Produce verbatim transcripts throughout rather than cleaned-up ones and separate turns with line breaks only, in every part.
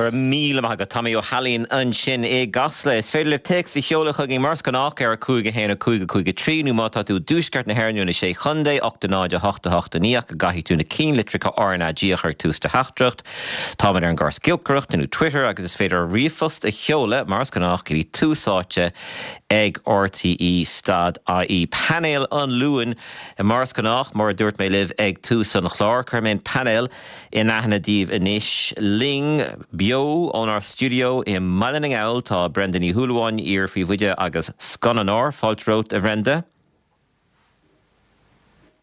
Go raibh míle maith agat Tommy Ó hAilín ansin i gCasla. Is féidir libh téacs a sheoladh chugainn mar is gnách ar a cúig a haon a cúig a cúig a trí nó má tá tú i dtuaisceart na hÉireann na sé chontae ocht a náid a hocht a hocht a naoi go gcaithfidh tú na ceannlitreacha RnaG a chur tús do theachtaireacht. Táimid ar an gcóras giolcaireachta nó Twitter agus is féidir ríomhphost a sheoladh mar is gnách go dtí Tús Áite ag RTE stad IE. Painéal an Luain mar is gnách mar a dúirt mé libh ag tús an chláir chuir mé an painéal in aithne daoibh anois linn beo ónár stiúideo i mBaile na nGall tá Brenda Ní Shúilleabháin iar-phríomhoide agus scannánóir fáilte romhat a Bhrenda.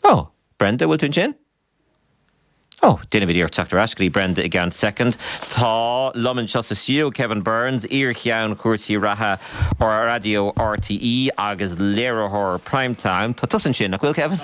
Ó, Brenda bhfuil tú ansin? Ó, déanfaimid iarracht teacht ar ais go dtí Brenda i gceann soicind. Tá liom anseo sa stiúideo Kevin Burns, iar-cheann chúrsaí reatha ar raidió RTÉ agus léiritheoir Primetime. Tá tusa ansin nach bhfuil Kevin?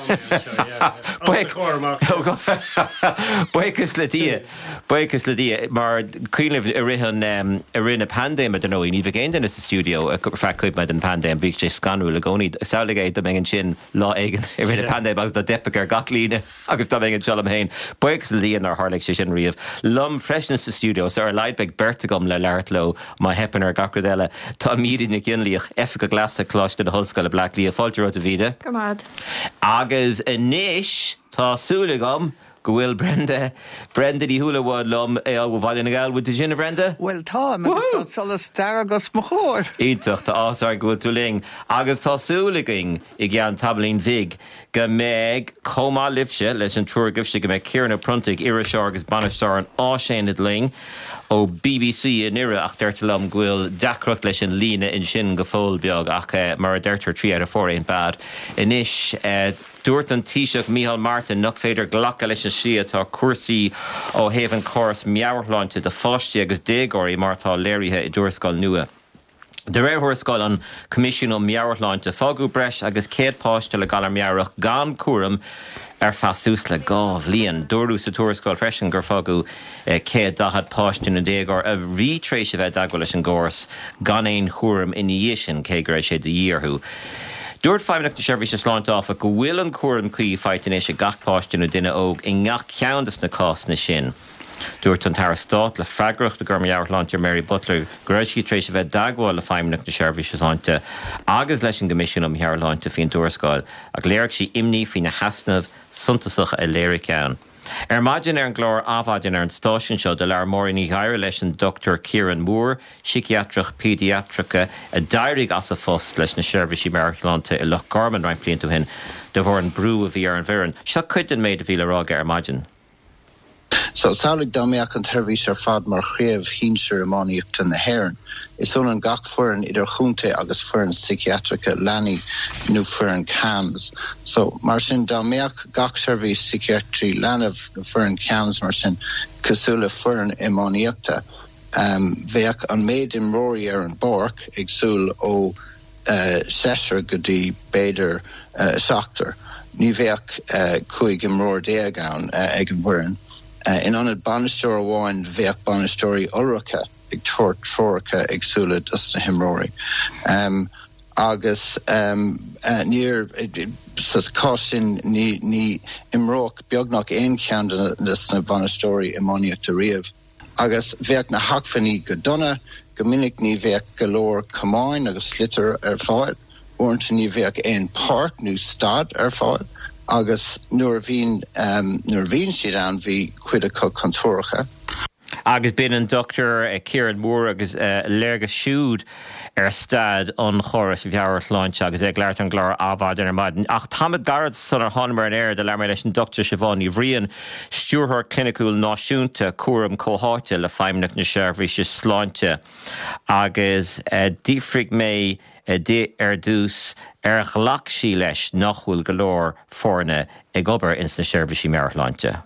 Buíochas le Dia Buíochas le Dia mar cuimhin i rith an i rith na paindéime dar ndóigh ní bheadh aon duine sa stiúideo feadh cuid den phaindéim bhí sé scanrúil i gcónaí samhlaigh é dá mbeinn ansin lá éigin i rith na paindéime agus dá dteipfeadh ar gach líne agus dá mbeinn anseo liom féin. Buíochas le Dia nár tharla sé sin riamh. Liom freisin sa stiúideo so ar a laghad beidh beirt agam le labhairt leo má theipeann ar gach rud eile. Tá Míde Nic Fhionnlaoich Oifigeach Leasa Coláiste na hOllscoile Bleá Cliath fáilte romhat a Mhíde.
Go maith.
Agus anois tá súil agam go bhfuil Brenda Brenda Ní Shúilleabháin liom ó Bhaile na nGall bhfuil tú ansin a Bhrenda?
Well tá tá solas dearg os mo chomhair.
Iontach tá áthas orainn go bhfuil tú linn agus tá súil againn i gceann tamaillín bhig go mbeidh chomh maith libhse leis an triúr agaibhse go mbeidh Ciarán Ó Pronntaigh iriseoir agus bainisteoir an Áisaonad linn ó BBC i nDoire ach deirtear liom go bhfuil deacracht leis an líne ansin go fóill beag ach uh, mar a deirtear three out of four ain't bad. Anois uh, Dúirt an Taoiseach Micheál Martin nach féidir glacadh leis an slí atá cúrsaí ó thaobh an córas meabhairshláinte do pháistí agus déagóirí mar atá léirithe i dtuarascáil nua. De réir thuarascáil an Coimisiún um Meabhairshláinte fágadh breis agus céad páiste le galar meabhrach gan cúram ar feadh suas le dhá bhliain. Dúradh sa tuarascáil freisin gur fágadh céad daichead páiste nó déagóir a bhí tar éis a bheith i dteagmháil leis an gcóras gan aon chúram ina dhiaidh sin cé go raibh sé de dhíth orthu. Dúirt Feidhmeannacht na Seirbhíse Sláinte áfach go bhfuil an cúram cuí faighte anois ag gach páiste nó duine óg i ngach ceann de na cásanna sin. Dúirt an tAire Stáit le freagracht i gcúram meabhairshláinte Mary Butler go raibh sí tar éis a bheith i dteagmháil le Feidhmeannacht na Seirbhíse Sláinte agus leis an gCoimisiún um Meabhairshláinte faoin tuarascáil ach léirigh sí imní faoi na heasnaimh suntasacha a léiríodh ann. Ar maidin ar an gclár Adhmhaidin ar an stáisiún seo do labhair Máirín Ní Ghadhra leis an Dr Kieran Moore, síciatrach péidiatrach a d'éirigh as a phost leis na seirbhísí meabhairshláinte i Loch Garman roinnt blianta ó shin de bharr an brú a bhí ar an bhfoireann. Seo cuid den méid a bhí le rá aige ar maidin.
So samhlaigh dá mbeadh an tseirbhís ar fad mar chraobh shinsir iománaíochta na hÉireann. Is ionann gach foireann idir chontae agus foireann síciatrach leanaí nó foireann CAMHS. So mar sin dá mbeadh gach seirbhís síciatraí leanbh nó foireann CAMHS mar sin cosúil le foireann iománaíochta. Um, bheadh an méid imreoirí ar an bpáirc éagsúil ó uh, seisear go dtí b'fhéidir uh, seachtar. Ní bheadh uh, cúig imreoir déag ann uh, ag an bhfoireann. Uh, in ionad bainisteoir amháin bheadh bainisteoirí iolracha ag tabhairt treoracha éagsúla dos na himreoirí. Um, agus um, uh, níor sa chás sin ní ní imreodh beagnach aon cheann de na bainisteoirí iománaíochta riamh. Agus bheadh na hacmhainní go dona, go minic ní bheadh go leor camáin agus sliotar ar fáil, uaireanta ní bheadh aon pháirc nó staid ar fáil. agus nuair bhíonn um, nuair bhíonn siad ann bhí cuid acu contúirteach.
Agus b'in an Dr Kieran Moore agus uh, léargas siúd ar staid an chóras mheabhairshláinte agus é ag labhairt ar an gclár Adhmhaidin ar maidin. Ach tamall gairid sular thánamar ar aer do labhair mé leis an Dr Siobhán Ní Bhriain, Stiúrthóir Cliniciúil Náisiúnta cúram comhtháite le Feidhmeannacht na Seirbhíse Sláinte. Agus uh, d'fhiafraigh mé di ar dtús ar ghlac sí leis nach bhfuil go leor foirne ag obair ins na seirbhísí meabhairshláinte.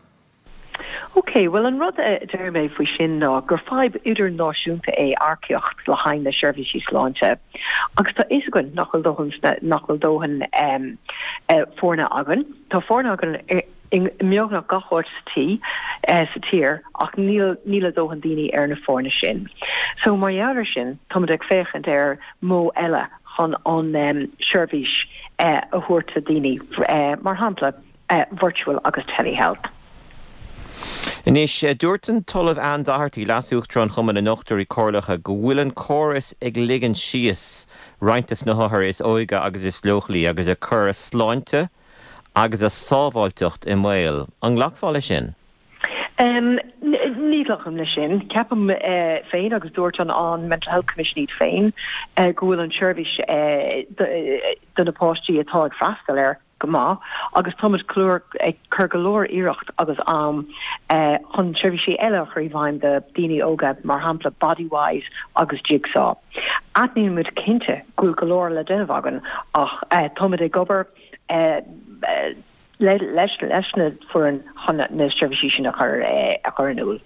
Ok, well an rud a deir mé faoi sin ná gur fadhb idirnáisiúnta é earcaíocht le haghaidh na seirbhísí sláinte. Agus tá fhios againn nach bhfuil dóthain nach bhfuil dóthain um, uh, foirne againn. Tá foirne againn i mbeagnach gach áit sa tí uh, sa tír ach níl níl a dóthain daoine ar na foirne sin. So mar gheall air sin táimid ag féachaint ar modh eile chun an um, seirbhís uh, a thabhairt do daoine uh, mar shampla uh, virtual agus telehealth.
Anois, dúirt an tOllamh Ann Doherty, Leas-Uachtarán Chumann na nDochtúirí Comhairleacha, go bhfuil an córas ag ligean síos roinnt de na hothair is óige agus is leochailí agus ag cur a sláinte agus a sábháilteacht i mbaol. An nglacfá leis sin?
Um, ní ghlacaim leis sin. Ceapaim uh, féin agus dúirt an an Mental Health Commission iad féin uh, go bhfuil an seirbhís uh, do na páistí atá ag freastal air go maith agus táimid clúr ag cur go leor iarracht agus am uh, chun seirbhísí eile a chur i bhfeidhm do daoine óga mar shampla Bodywhys agus Jigsaw. Aithnímid cinnte go bhfuil go leor le déanamh againn ach uh, táimid ag obair uh, uh, leis leis na foireann chun na seirbhísí sin a chur a chur in iúl.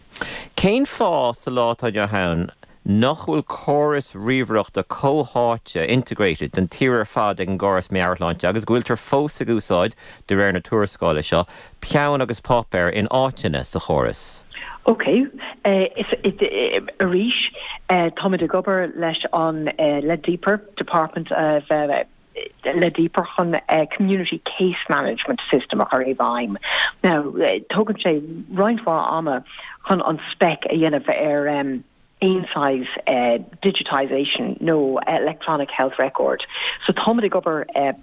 Cén fáth sa lá atá inniu ann nach bhfuil córas ríomhaireachta comhtháite integrated den tír ar fad ag an gcóras meabhairshláinte agus go bhfuiltear fós ag úsáid de réir na tuarascála seo, peann agus páipéar in áiteanna sa chóras.
Ok, uh, arís uh, táimid ag obair leis an uh, le Deeper Department of uh, le Deeper chun uh, community case management system a chur i bhfeidhm. Now uh, tógann sé roinnt mhaith ama chun an spec a dhéanamh ar um, aon size uh, digitization nó electronic health record. So táimid ag obair uh,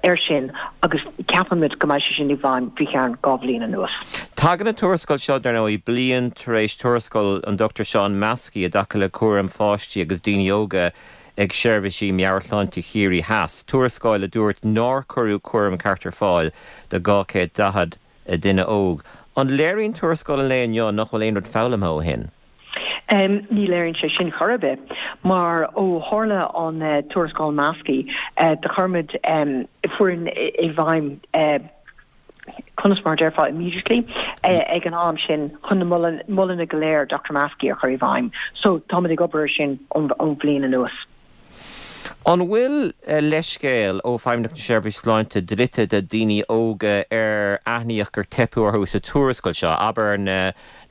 ar sin agus ceapaimid go mbeidh sé sin i bhfeidhm faoi cheann dhá bhliain anuas.
Tagann an tuarascáil seo dar ndóigh bliain tar éis tuarascáil an Dr Seán Maskey i dtaca le cúram pháistí agus daoine óga ag seirbhísí meabhairshláinte Chiarraí Theas. Tuarascáil a dúirt nár cuireadh cúram ceart ar fáil do dhá chéad daichead duine óg. An léiríonn tuarascáil an lae inniu nach bhfuil aon rud foghlamtha ó shin?
Um, ní léiríonn sé sin chor ar bith, mar ó tharla an uh, tuarascáil Maskey uh, do chuir muid um, foireann i bhfeidhm uh, conas mar déarfá immediately uh, ag an am sin chun na moladh go léir Dr. Maskey a chur i bhfeidhm. So táimid ag obair sin ón bhliain anuas.
An bhfuil leithscéal ó Feidhmeannacht na Seirbhíse Sláinte dlite do daoine óga ar aithníodh gur teipeadh orthu sa tuarascáil seo, abair na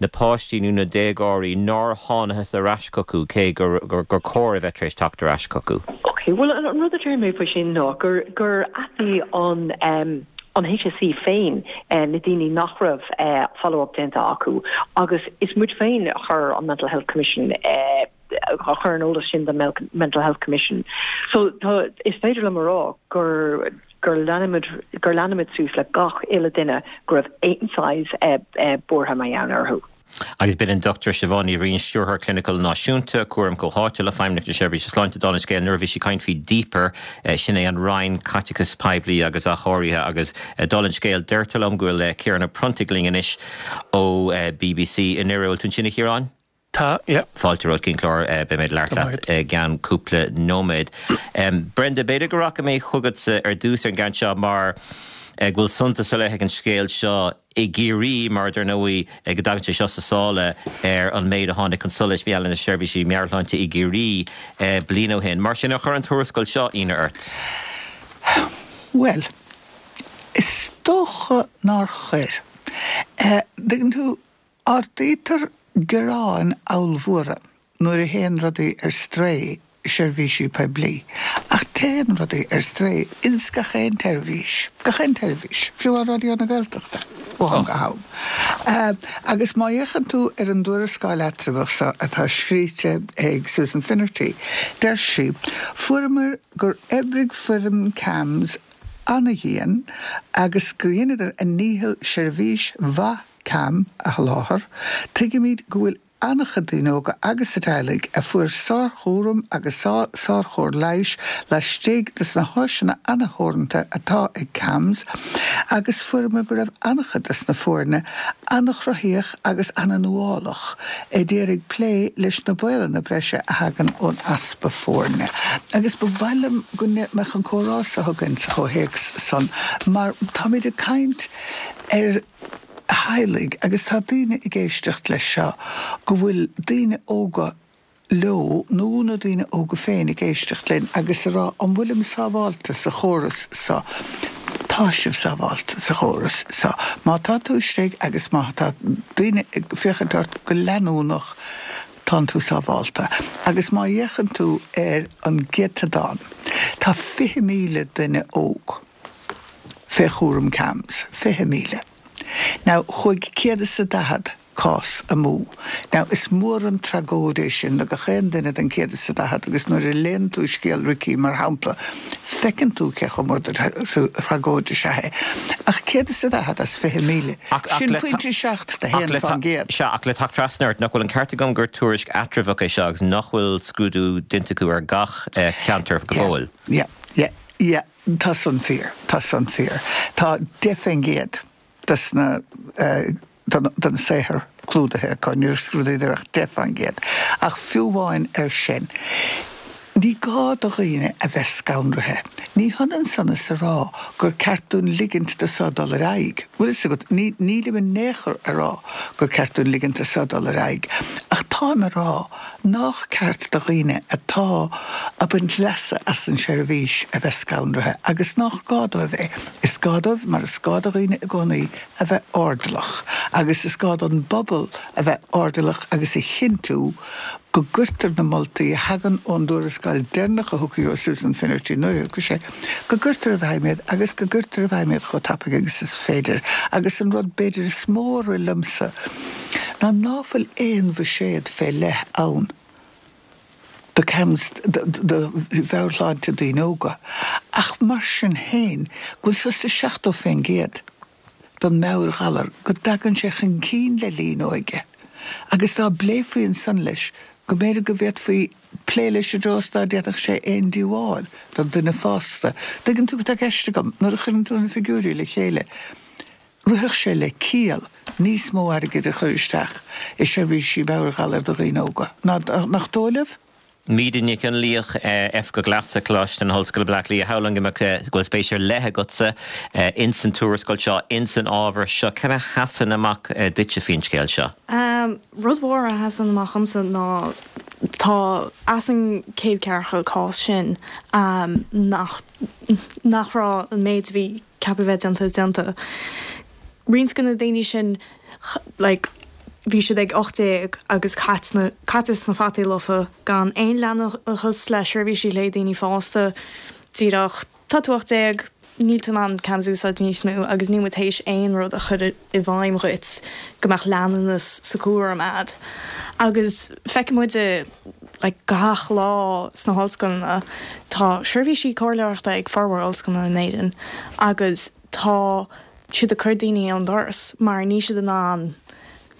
na páistí nó na déagóirí nár thángthas ar ais chucu cé gur gur gur chóir a bheith tar éis teacht ar ais chucu.
Ok, well an rud a deir mé faoi sin ná gur gur aithin an um, an HSE féin uh, na daoine nach raibh uh, follow-up déanta acu agus is muid féin a chuir an Mental Health Commission uh, a chuir an eolas sin den Mental Health Commission. So tá is féidir liom a rá gur gur leanamid gur leanamid suas le gach uile duine go raibh aon size uh, uh, buartha mar gheall orthu.
Agus b'in an Dr Siobhán Ní Bhriain Stiúrthóir Cliniciúil Náisiúnta Cúram Comhtháite le Feidhmeannacht na Seirbhíse Sláinte dála an scéil nuair a bhí sí ag caint faoi Deeper sin é an Roinn Caiteachais Poiblí agus Athchóirithe agus dála an scéil deirtear liom go bhfuil Ciarán Ó Pronntaigh linn anois ó BBC i nDoire. Bhfuil tú ansin a Chiaráin?
Tá, yeah.
Fáilte romhat chuig an chlár beidh mé ag labhairt leat i gceann cúpla nóiméad. Brenda, b'fhéidir go rachaidh mé chugatsa ar dtús ar an gceann seo mar go bhfuil suntas ar leith ag an scéal seo i gCiarraí mar dar ndóigh go dtagann sé seo sa sála ar an méid a tháinig chun solais maidir le seirbhísí meabhairshláinte i gCiarraí bliain ó shin. Mar sin ar chuir an tuarascáil seo ionadh ort?
Well, is dócha nár chuir. Tuigeann tú, ardaítear gearáin ollmhóra nuair a théann rudaí ar strae i seirbhísí poiblí. Ach téann rudaí ar strae ins gach aon tseirbhís, gach aon tseirbhís, fiú ar Raidió na Gaeltachta, ó am go ham. Agus má fhéachann tú ar an dtuarascáil eatramhach seo atá scríte ag Susan Finnerty, deir sí, Fuaireamar gur oibrigh foireann CAMHS ana-dhian agus gur dheineadar a ndícheall seirbhís mhaith CAM a sholáthar, tuigimid go bhfuil an-chuid daoine óga agus a dteaghlaigh a fuair sárchúram agus sárchóir leighis laistigh de na háiseanna an-theoranta atá ag CAMHS agus fuaireamar go raibh an-chuid de na foirne an-chruthaíoch agus an-nuálach ag iarraidh plé leis na baolanna breise a thagann ón easpa foirne. Agus ba mhaith liom go mbeadh an comhrá seo againn sa chomhthéacs san mar táimid ag caint ar theaghlaigh agus tá daoine ag éisteacht leis seo go bhfuil daoine óga leo nó na daoine óga féin ag éisteacht linn agus a rá an bhfuilim sábháilte sa chóras seo. Tá sibh sábháilte sa chóras seo. Má tá tú istigh agus má tá daoine ag féachaint ort go leanúnach tánn tú sábháilte. Agus má fhéachann tú ar an gcéatadán, tá fiche míle duine óg fé chúram CAMHS, fiche míle. Now, chuaigh céad is a daichead cás amú. Now, is mór an tragóid é sin do gach aon duine den céad is a daichead agus nuair a léann tú scéal Ricky mar shampla, feiceann tú cé chomh mór de thragóid is ea é. Ach céad is a daichead as fiche míle, sin pointe seacht de haon faoin gcéad.
Sea, ach le teacht trasna ort, nach bhfuil an ceart agam gur tuairisc eatramhach é seo agus nach bhfuil scrúdú déanta acu ar gach ceantar go fóill?
Yeah, yeah, yeah, tá san fíor, tá san fíor. Tá deich faoin gcéad des na den saothar clúdaithe acu, níor scrúdaíodar ach deich faoin gcéad. Ach fiú amháin ar sin, ní gá do dhaoine a bheith scanraithe. Ní hionann san is a rá gur ceart dúinn ligint do seo dul ar aghaidh. Bhfuil fhios agat, ní, nílim in aon chor a rá gur ceart dúinn ligint do seo dul ar aghaidh. Ach táim a rá nách ceart do dhaoine atá ag baint leasa as an seirbhís a bheith scanraithe agus nách gá dóibh é. Is gá dóibh, mar is gá do dhaoine i gcónaí, a bheith airdeallach agus is gá don bpobal a bheith airdeallach agus a chinntiú go gcuirtear na moltaí a thagann ón dtuarascáil deireanach a thiocfaidh ó Susan Finnerty nuair a thiocfaidh sé, go gcuirtear i bhfeidhm iad agus go gcuirtear i bhfeidhm iad chomh tapaidh agus is féidir. Agus an rud b'fhéidir is mó a rith liomsa ná ná fuil aon bhuiséad fé leith ann do CAMHS, do mheabhairshláinte daoine óga, ach mar sin féin go bhfuil suas le seachtó faoin gcéad den meabhairghalar go dtagann sé chun cinn le linn óige agus dá bpléifí ansan leis go mb'fhéidir go bhféadfaí plé leis i dtreo is ná déanfadh sé aon díobháil don duine fásta. Tuigeann tú cad tá i gceist agam, nuair a chuireann tú na figiúirí le chéile, rithfeadh sé le ciall níos mó airgid a chur isteach i seirbhísí meabhairghalair do dhaoine óga. Nach dóigh libh?
Míde Nic Fhionnlaoich, Oifigeach Leasa, Coláiste na hOllscoile Bleá Cliath, Shamhlóinn go mbeadh go bhfuil spéis ar leith agatsa ins an tuarascáil seo, ins an ábhar seo. Cad a sheasann amach duitse faoin scéal seo?
Rud mhór a sheasann amach dhomsa ná tá as an céad ceathracha cás sin nach nach raibh an méid a bhí ceaptha bheith déanta déanta. Roinnt de na daoine sin like bhí siad ag ocht déag agus caite sna fataí lofa gan aon leanúnachas le seirbhísí le daoine fásta díreach tá tú ocht déag níl tú in ann CAMHS a úsáid níos mó agus níl muid théis aon rud a chur i bhfeidhm dhuit go mbeadh leanúnas sa chúram a'd. Agus feiceann muid like gach lá sna hollscoileanna tá seirbhísí comhairleoireachta ag formhór ollscoileanna in Éirinn agus tá siad ag cur daoine ón doras mar níl siad in ann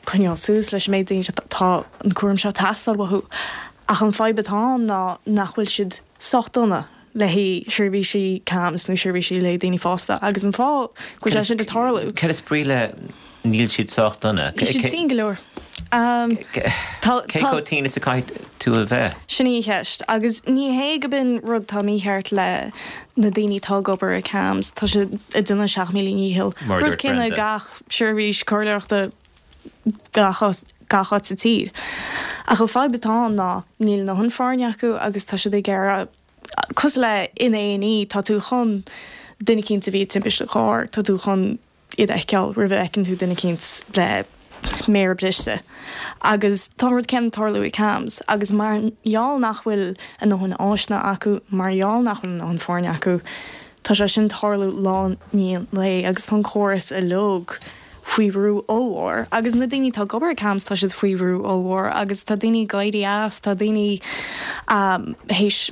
coinneáil suas leis an méid daoine atá an cúram seo ag teastáil uathu. Ach an fadhb atá ann ná nach bhfuil siad sách dona le haghaidh seirbhísí CAMHS nó seirbhísí le daoine fásta agus an fáth go bhfuil sé sin ag tarlú.
Cad is brí le níl siad sách dona?
Níl siad tinn go leor.
Cé chomh tinn is a caithfidh tú a bheith?
Sin í an cheist. Agus ní hé go b'in rud atá mícheart le na daoine atá ag obair i CAMHS, tá siad ag déanamh a seacht míle ndícheall.
Mar a
Rud
dúirt
céanna
Brenda.
gach seirbhís comhairleoireachta gach gach áit sa tír. Ach an fadhb atá ann ná níl a ndóthain foirne acu agus tá siad ag iarraidh cosúil le in A and E tá tú chun duine eicínt a bhí i dtimpiste chairr, tá tú chun iad a fheiceáil roimh a fheiceann tú duine eicínt le méara briste. Agus tá an rud céanna ag tarlú i CAMHS agus mar gheall nach bhfuil a ndóthain áiseanna acu, mar gheall nach bhfuil a ndóthain foirne acu, tá sé sin ag tarlú lá i ndiaidh lae agus tá an córas uilig faoi bhrú ollmhór. Agus na daoine atá ag obair i CAMHS tá siad faoi bhrú ollmhór agus tá daoine ag éirí as, tá daoine théis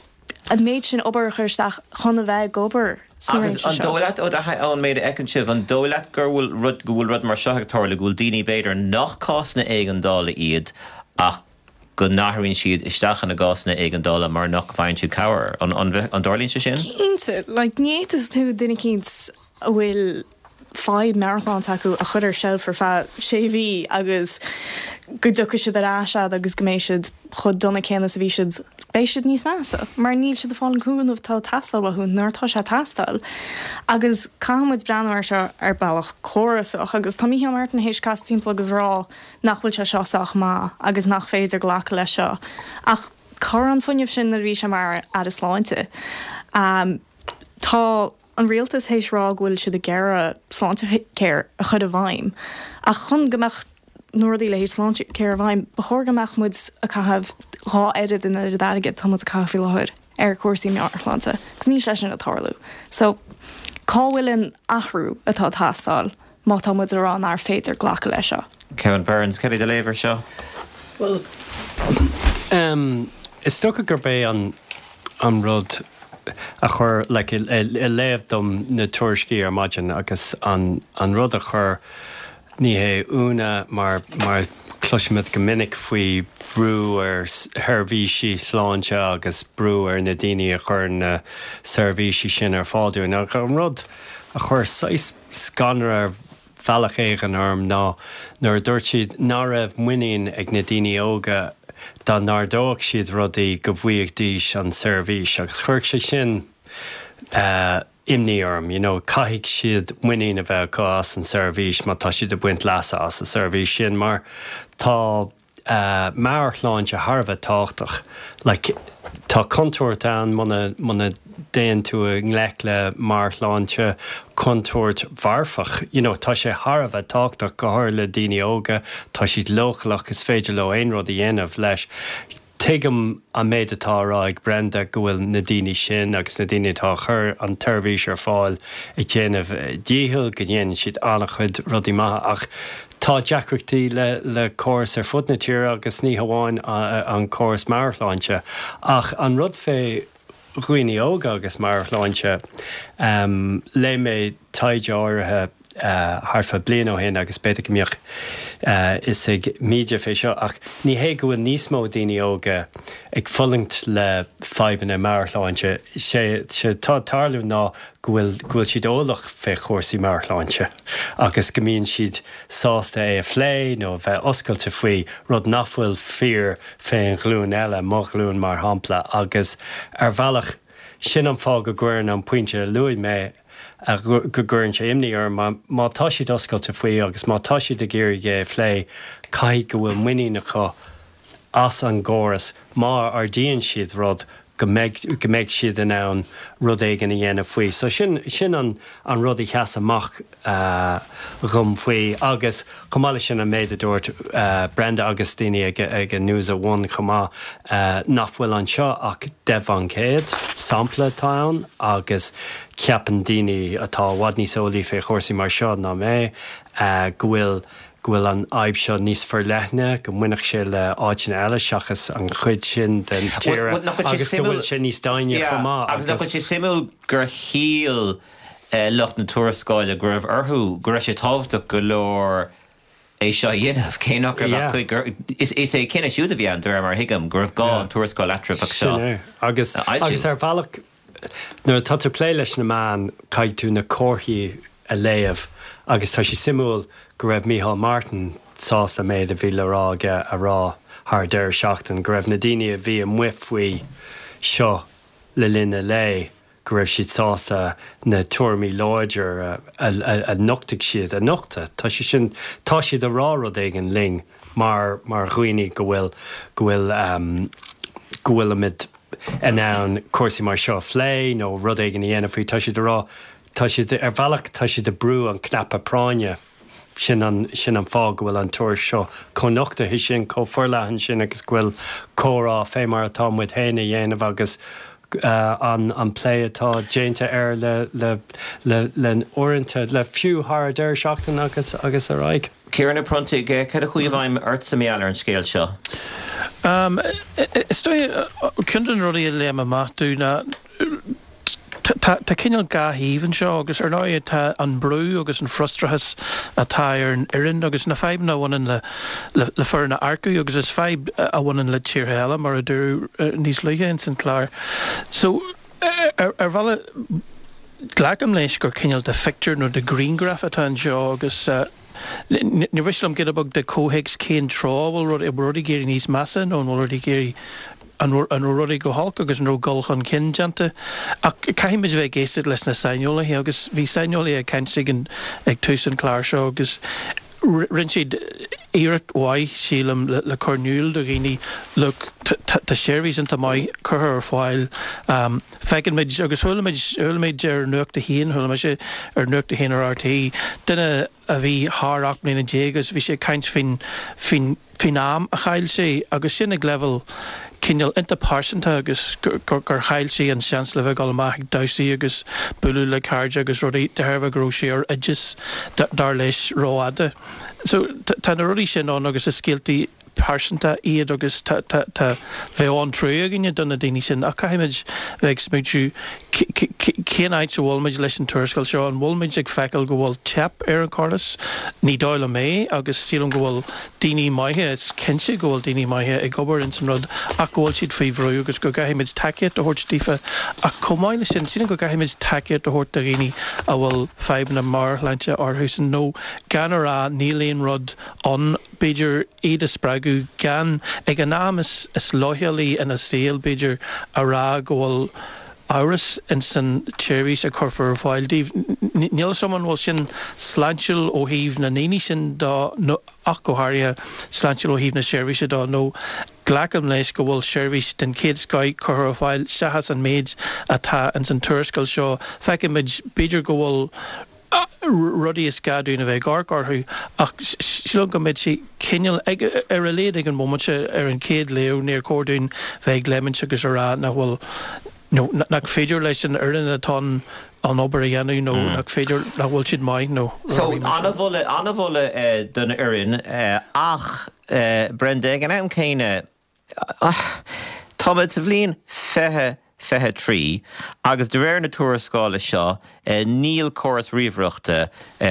an méid sin obair a chur isteach chun a bheith ag obair sa
Agus
réimse
an
seo.
dóigh leat, ó do thaithí ón méid a fheiceann sibh, an dóigh leat gur bhfuil rud, go bhfuil rud mar seo ag tarlú, go bhfuil daoine b'fhéidir nach cásanna éigeandála iad ach go n-athraíonn siad isteach ina gcásanna éigeandála mar nach bhfaigheann siad cabhair? An, an, an dtarlaíonn sé sin?
Cinnte, like, ní fhéadfadh tú duine eicínt a bhfuil fadhb meabhairshláinte acu a chur ar seilf ar feadh sé mhí agus go dtiocfaidh siad ar ais a'd agus go mbeidh siad chomh dona céanna is a bhí siad, beidh siad níos measa mar níl siad ag fáil an cúnamh atá ag teastáil uathu nuair atá sé ag teastáil. Agus caithfidh muid breathnú air seo ar bealach córasach agus tá Micheál Martin théis casadh timpeall agus rá nach bhfuil sé seo sách maith agus nach féidir glacadh leis seo. Ach cá raibh an fuinneamh sin nuair a bhí sé mar Aire Sláinte? Um, tá an rialtas théis rá go bhfuil siad ag iarraidh Sláintecare a chur i bhfeidhm. Ach chun go mbeadh na rudaí le haghaidh Sláintecare i bhfeidhm, ba chóir go mbeadh muid ag caitheamh dhá oiread an oiread airgid atá muid ag caitheamh faoi láthair ar chúrsaí meabhairshláinte, agus níl sé sin ag tarlú. So cá bhfuil an athrú atá ag teastáil má tá muid ag rá nár féidir glacadh leis seo.
Kevin Burns, cad é do léamh air seo?
Well, um, is dócha gurb é an an rud a chuir like, i léamh dom na tuairiscí ar maidin agus an, an rud a chuir ní hé ionadh mar mar cloisimid go minic faoi bhrú ar sheirbhísí sláinte agus brú ar na daoine a chuir na seirbhísí sin ar fáil dúinn. Ach an rud a chuir saghas scanradh ar bhealach éigin orm ná nuair a dúirt siad nach raibh muinín ag na daoine óga dá n-ardódh siad rudaí go bhfaighidís an seirbhís agus chuir sé sin uh, imní orm, you know, caithfidh siad muinín a bheith acu as an seirbhís má tá siad ag baint leasa as an seirbhís sin mar tá uh, meabhairshláinte thar a bheith tábhachtach. Like, tá contúirt ann muna muna dtéann tú i ngleic le meabhairshláinte contúirt mharfach. You know, tá sé thar a bheith tábhachtach go háirithe le daoine óga, tá siad leochaileach is féidir leo aon rud a dhéanamh leis. Tuigim an méid atá á rá ag Brenda go bhfuil na daoine sin agus na daoine atá ag cur an tseirbhís ar fáil ag déanamh dícheall go ndéanann siad an-chuid rudaí maithe ach tá deacrachtaí le le córas ar fud na tíre agus ní hamháin an córas meabhairshláinte. Ach an rud fé dhaoine óga agus meabhairshláinte, léigh mé taighde áirithe thart fá bliain ó shin agus b'fhéidir go mbeadh fhios ag Míde fé seo ach ní hé go bhfuil níos mó daoine óga ag fulaingt le fadhbanna meabhairshláinte, sé sé tá ag tarlú ná go bhfuil go bhfuil siad eolach fé chúrsaí meabhairshláinte agus go mbíonn siad sásta é a phlé nó a bheith oscailte faoi, rud nach bhfuil fíor fén ghlúin eile, mo ghlúin mar shampla agus ar bhealach sin an fáth go gcuireann an pointe a luaigh mé go gcuireann sé imní orm mar má tá siad oscailte faoi agus má tá siad ag iarraidh é a phlé, caithfidh go bhfuil muinín acu as an gcóras má ardaíonn siad rud go mbeidh go mbeidh siad in ann rud éigin a dhéanamh faoi. So sin sin an an rud a sheas amach dhom faoi agus chomh maith leis sin an méid a dúirt Brenda agus daoine ag ag an News at One chomh maith nach bhfuil anseo ach deich faoin gcéad sampla atá ann agus ceapann daoine atá i bhfad níos eolaí fé chúrsaí mar seo ná mé go bhfuil go bhfuil an fhadhb seo níos forleithne, go mbainfeadh sé le áiteanna eile seachas an chuid sin den tír agus go bhfuil sé níos doimhne chomh maith
agus. Nach bhfuil sé suimiúil gur shíl lucht na tuarascála go raibh orthu, go raibh sé tábhachtach go leor é seo a dhéanamh, cé nach raibh ach cuid, is é cinneadh siúd a bhí ann, de réir mar a thuigim, go raibh gá an tuarascáil eatramhach seo
a fhoilsiú. Agus ar bhealach, nuair atá tú ag plé leis na meáin, caithfidh tú na comharthaí a léamh agus tá sé suimiúil go raibh Micheál Martin sásta an méid a bhí le rá aige a rá thar deireadh seachtaine, go raibh na daoine a bhí amuigh faoi seo le linn an lae, go raibh siad sásta na tuairimí láidir a nochtaigh siad a nochtadh. Tá sé sin, tá siad ag rá rud éigin linn mar mar dhaoine go bhfuil, go bhfuil, go bhfuilimid in ann cúrsaí mar seo a phlé nó rud éigin a dhéanamh faoi. Tá siad ag rá, tá siad, ar bhealach, tá siad ag brú an cnaipe práinne. Sin an, sin an fáth go bhfuil an tuairisc seo chomh nochtaithe sin, chomh forleathan sin agus go bhfuil comhrá fé mar atá muid féin a dhéanamh agus an, an plé atá déanta air le, le, le, le uaireanta, le fiú thar an deireadh seachtaine agus, agus ar aghaidh.
Ciarán Ó Pronntaigh, cad a chuaigh i bhfeidhm ortsa mar gheall ar an scéal seo?
Is dóigh, ceann de na rudaí a léim amach domh ná tá cineál dhá thaobh anseo agus ar ndóigh tá an brú agus an frustrachas atá ar an fhoireann agus na fadhbanna a bhaineann le le foireann a earcú agus is fadhb a bhaineann le tíortha eile mar a dúradh níos luaithe ins an chlár. So ar bhealach glacaim leis gur cineál de phictiúr nó de ghrianghraf atá anseo agus níor mhiste liom giota beag de chomhthéacs cén tráth a bhfuil rudaí, an bhfuil rudaí ag éirí níos measa nó an bhfuil rudaí ag éirí, an raibh rudaí go holc agus an raibh dul chun cinn déanta. Ach caithfidh muid a bheith ag éisteacht leis na saineolaithe agus bhí saineolaithe ag caint ag an, ag tús an chláir seo agus rinne siad iarracht mhaith, sílim, le cur in iúl do dhaoine, look, tá seirbhís iontach maith curtha ar fáil, feiceann muid agus chuala muid, chuala muid ar Nuacht a hAon, chuala mise ar Nuacht a hAon ar RTÉ, duine a bhí thar ocht mbliana déag agus bhí sé ag caint faoin, faoin, faoin am a chaill sé agus sin ag leibhéal cineál iontach pearsanta agus gur chaill sí an seans le bheith ag dul amach ag damhsaí agus bualadh le cairde agus rudaí de thairbhe go raibh sí ar oideas dar leis rófhada. So tá na rudaí sin ann agus is scéaltaí pearsanta iad agus tá bheadh an-trua againne do na daoine sin ach caithfimid bheith ag smaointiú cén áit a bhfuilimid leis an tuarascáil seo, an bhfuilimid ag feiceáil go bhfuil teip ar an chóras? Ní dóigh liom é agus sílim go bhfuil daoine maithe, is cinnte go bhfuil daoine maithe ag obair ins an rud ach go bhfuil siad faoi bhrú agus go gcaithfimid tacaíocht a thabhairt daofa ach chomh maith leis sin sílim go gcaithfimid tacaíocht a thabhairt do dhaoine a bhfuil fadhbanna meabhairshláinte orthusan nó gan a rá níl aon rud ann b'fhéidir iad a spreagadh gan, ag an am is leochailí ina saol, b'fhéidir, a rá go bhfuil amhras ins an tseirbhís a chuirfear ar fáil daoibh. Níl fhios agam an bhfuil sin sláintiúil ó thaobh na ndaoine sin de nó ach go háirithe sláintiúil ó thaobh na seirbhíse de nó glacaim leis go bhfuil seirbhís den chéad scoith curtha ar fáil seachas an méid atá ins an tuarascáil seo. Feicimid, b'fhéidir go bhfuil rudaí is gá dúinn a bheith ag amharc orthu ach sílim go mbeidh sé cineál, ar a laghad ag an bhomaite, ar an chéad léamh, níor chóir dúinn bheith ag léimint agus a rá nach bhfuil, nó nach féidir leis an fhoireann atá ann an obair a dhéanamh nó nach féidir, nach bhfuil siad maith nó
So,
rudaí mar sin.
an-mholadh, an-mholadh don fhoireann ach, Brenda, ag an am céanna, Táimid sa bhliain fiche fiche trí agus de réir na tuarascála seo níl córas ríomhaireachta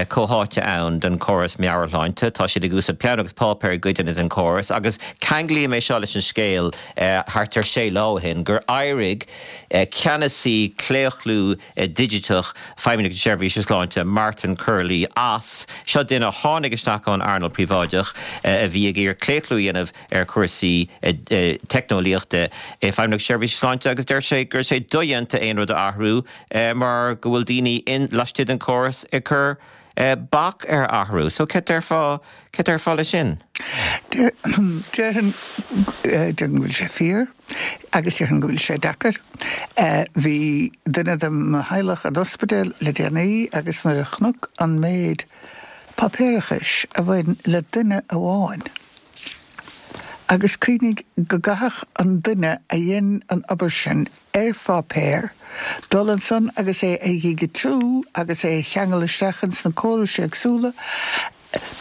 comhtháite ann don chóras meabhairshláinte. Tá siad ag úsáid peann agus páipéar i gcuideanna den chóras agus ceanglaím é seo leis an scéal thart ar sé lá ó shin gur éirigh ceannasaí claochlú digiteach Feidhmeannacht na Seirbhíse Sláinte, Martin Curley, as. Seo duine a tháinig isteach ón earnáil príobháideach a bhí ag iarraidh claochlú a dhéanamh ar chúrsaí teicneolaíochta i Feidhmeannacht na Seirbhíse Sláinte agus deir sé go raibh sé dodhéanta aon rud a athrú mar go bhfuil daoine laistigh den chóras ag cur bac ar athrú. So céard déarfá, céard déarfá leis sin?
Déarfainn go bhfuil sé fíor agus déarfainn go bhfuil sé deacair. Bhí duine de mo theaghlach in ospidéal le déanaí agus nuair a chonac an méid páipéarachais a bhain le duine amháin, agus cuimhnigh go gcaithfeadh an duine a dhein an obair sin ar pháipéar dul ansan agus é a dhigitiú agus é a cheangal isteach ins na córais éagsúla.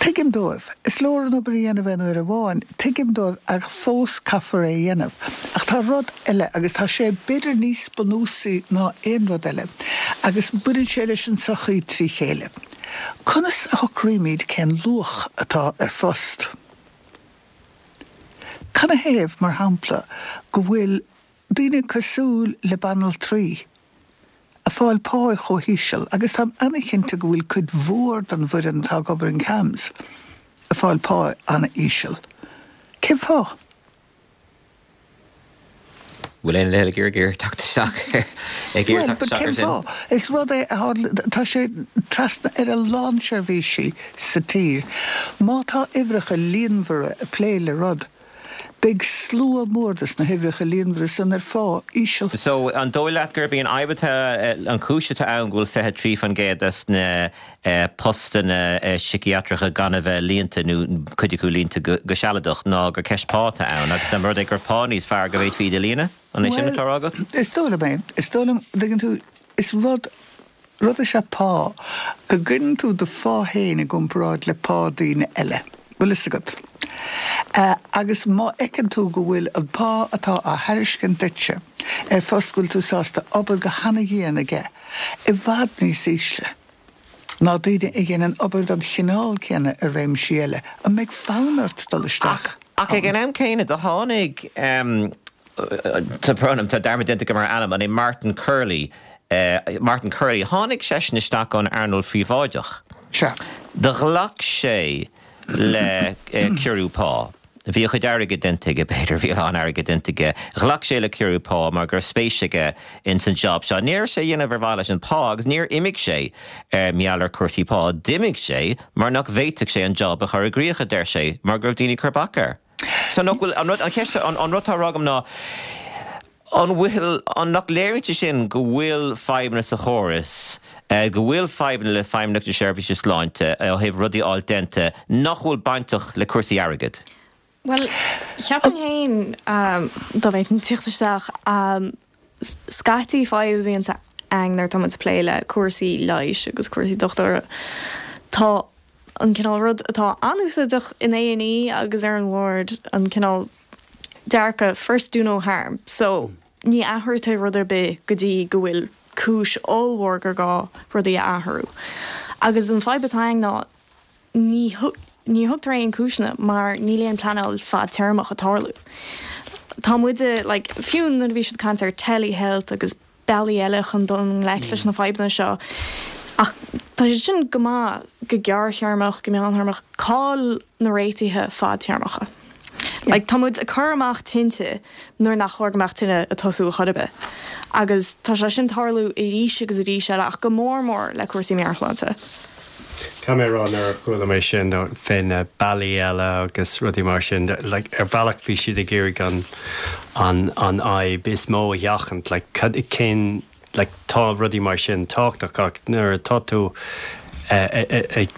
Tuigim dóibh. Is leor an obair a dhéanamh aon uair amháin. Tuigim dóibh ach fós caithfear é a dhéanamh. Ach tá rud eile agus tá sé b'fhéidir níos bunúsaí ná aon rud eile agus baineann sé leis an tsochaí trí chéile. Conas a shocraímid cén luach atá ar phost? Canathaobh, mar shampla, go bhfuil daoine cosúil le banaltraí ag fáil pá chomh híseal, agus táim an-chinnte go bhfuil cuid mhór den bhfoireann atá ag obair in CAMHS ag fáil pá an-íseal. Cén fáth?
Bhfuil aon duine ag iarraidh teacht isteach ag iarraidh
Bhuel,
teacht
but
isteach
cén
ar sin?
fáth? Is rud é a tharla, tá sé trasna ar a lán seirbhísí sa tír. Má tá uimhreacha líonmhara ag plé le rud, beidh slua mór des na huimhreacha líonmhara san ar phá íseal.
So, an dóigh leat gurb í an fhadhb atá, an chúis atá ann go bhfuil fiche trí faoin gcéad des na postanna síciatracha gan a bheith líonta nó cuid acu líonta go sealadach ná gur ceist pá atá ann agus dá mba rud é go raibh pá níos fearr go bhféadfaí iad a líonadh? An é sin
Bhuel,
atá á rá agat?
is dóigh liom é. Is dóigh liom, dtuigeann tú, is rud, rud is ea pá, go gcuireann tú do phá féin i gcomparáid le pá daoine eile. Bhfuil fhios agat. Agus má fheiceann tú go bhfuil an pá atá á thairiscint duitse ar phost go bhfuil tú sásta obair go hana-dhian aige i bhfad níos ísle ná daoine a dhéanann obair den chineál céanna i réimsí eile, an mbeidh fonn ort dul isteach
Ach ag
ann?
an am céanna, do tháinig, tá brón orm, tá dearmad déanta agam ar a ainm, an é Martin Curley, Martin Curley, tháinig seisean isteach ón earnáil phríobháideach.
Sea.
Do ghlac sé le ciorrú pá. Bhí a chuid airgid déanta aige, b'fhéidir, bhí a lán airgid déanta aige. Ghlac sé le ciorrú pá mar go raibh spéis aige ins an job seo. Ní raibh sé á dhéanamh ar mhaithe leis an pá agus níor imigh sé mar gheall ar cúrsaí pá. D'imigh sé mar nach bhféadfadh sé an job a chur i gcrích, a deir sé, mar go raibh daoine ag cur bac air. So nach bhfuil, an rud, an cheist, an rud atá á rá agam ná, an bhfuil, an nach léiríonn sé sin go bhfuil fadhbanna sa chóras, go bhfuil fadhbanna le Feidhmeannacht na Seirbhíse Sláinte ó thaobh rudaí a fháil déanta nach bhfuil bainteach le cúrsaí airgid?
Bhuel, cheapfainn féin, dá bhféadfainn tíocht isteach, scaití fadhb a bhíonns ann nuair atá muid ag plé le cúrsaí leighis agus cúrsaí dochtúra, tá an cineál rud atá an-úsáideach in A and E agus ar an ward, an cineál dearcadh first do no harm. So, ní athraíonn tú rud ar bith go dtí go bhfuil cúis ollmhór gur gá rudaí a athrú. Agus an fadhb atá ann ná ní ní thugtar aon cúiseanna mar níl aon pleanáil fadtéarmach ag tarlú. Tá muide, like, fiú nuair a bhí siad ag caint ar telehealth agus bealaí eile chun dul i ngleic leis na fadhbanna seo, ach tá siad sin go maith go gearrthéarmach, go meántéarmach, cá'il na réitithe fadtéarmacha? Like, tá muid ag cur amach tinte nuair nach chóir go mbeadh tine ag tosú chor ar bith. Agus tá sé sin ag tarlú arís agus arís eile ach go mór mór le cúrsaí meabhairshláinte.
Caithfidh mé a rá nuair a chuala mé sin fé na bealaí eile agus rudaí mar sin, like, ar bhealach bhí siad ag iarraidh an, an, an fhadhb is mó a sheachaint, like, cad, cén, like, tá rudaí mar sin tábhachtach ach nuair atá tú ag,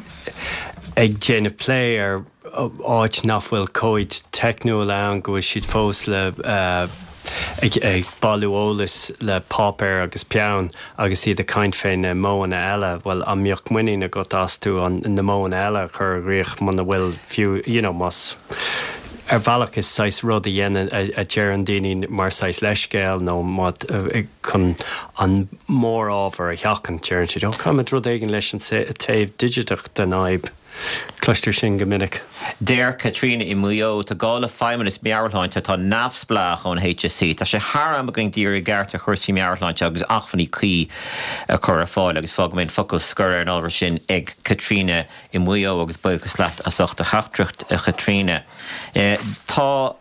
ag déanamh plé ar áit nach bhfuil comhaid teicniúil ann, go bhfuil siad fós le ag ag bailiú eolais le páipéar agus peann agus iad ag caint fé na modhanna eile, bhuel, an mbeadh muinín agat astu an na modhanna eile a chur i gcrích muna bhfuil fiú, you know, más ar bhealach is saghas rud a dhéanann, a deireann daoine mar saghas leithscéal nó má chun an mórábhar a sheachaint, deireann siad, oh, caithfimid rud éigin leis an taobh digiteach den fhadhb. Cloistear sin go minic.
Deir Caitríona i Maigh Eo, Tá gá le feidhmeannas meabhairshláinte atá neamhspleách ón HSE. Tá sé thar am againn díriú i gceart ar chúrsaí meabhairshláinte agus acmhainní cuí a chur ar fáil agus fágfaidh mé an focal scoir ar an ábhar sin ag Caitríona i Maigh Eo agus buíochas leat as ucht do theachtaireacht, a Chaitríona. Tá.